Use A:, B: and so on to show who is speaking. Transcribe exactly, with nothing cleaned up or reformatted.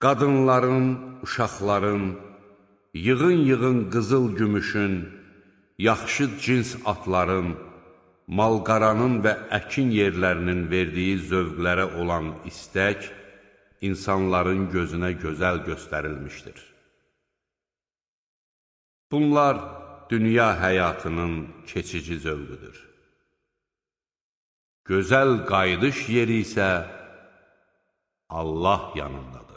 A: Qadınların, uşaqların, yığın-yığın qızıl gümüşün, yaxşı cins atların, malqaranın və əkin yerlərinin verdiyi zövqlərə olan istək, insanların gözünə gözəl göstərilmişdir. Bunlar dünya həyatının keçici zövqüdür. Gözəl qayıdış yeri isə Allah yanındadır.